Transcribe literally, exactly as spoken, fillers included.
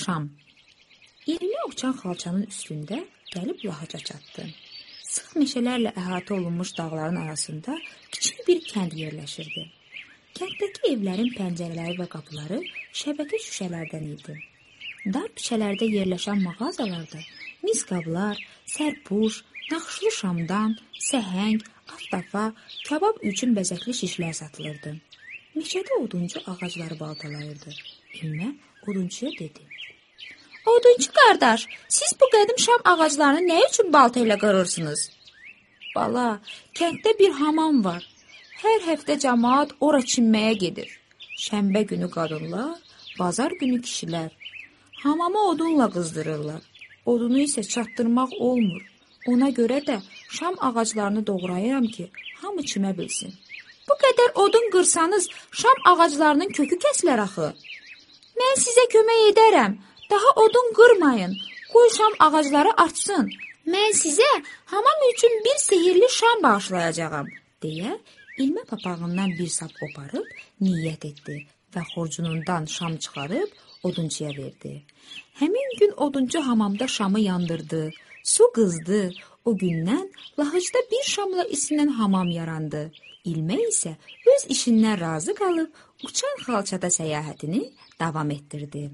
Şam. İlmi uçan xalçanın üstündə gəlib lahaca çatdı. Sıx meşələrlə əhatə olunmuş dağların arasında kiçik bir kənd yerləşirdi. Kənddəki evlərin pəncərələri və qapıları şəbəkə şüşələrdən idi. Dar küçələrdə yerləşən mağazalarda mis qablar, sərpuş, naxışlı şamdan, səhəng, aftafa, kabab üçün bəzəkli şişlər satılırdı. Meşədə oduncu ağacları baltalayırdı. İlmə odunçuya dedi: "Odunçu qardaş, siz bu qədim şam ağaclarını nə üçün balta ilə qırırsınız?" "Bala, kənddə bir hamam var. Hər həftə cəmaət ora çimməyə gedir. Şənbə günü qadınlar, bazar günü kişilər. Hamamı odunla qızdırırlar. Odunu isə çatdırmaq olmur. Ona görə də şam ağaclarını doğrayıram ki, hamı çimə bilsin." "Bu qədər odun qırsanız, şam ağaclarının kökü kəsilər axı." "Mən sizə kömək edərəm. Daha odun qırmayın. Qoy şam ağacları artsın. Mən sizə hamam üçün bir sehirli şam bağışlayacağam." deyə İlmə papağından bir sap qoparıb niyyət etdi və xurcunundan şam çıxarıb odunçuya verdi. Həmin gün odunçu hamamda şamı yandırdı, su qızdı. O gündən lahıcda bir şamla isinən hamam yarandı. İlmə isə öz işindən razı qalıb uçan xalçada səyahətini davam etdirdi.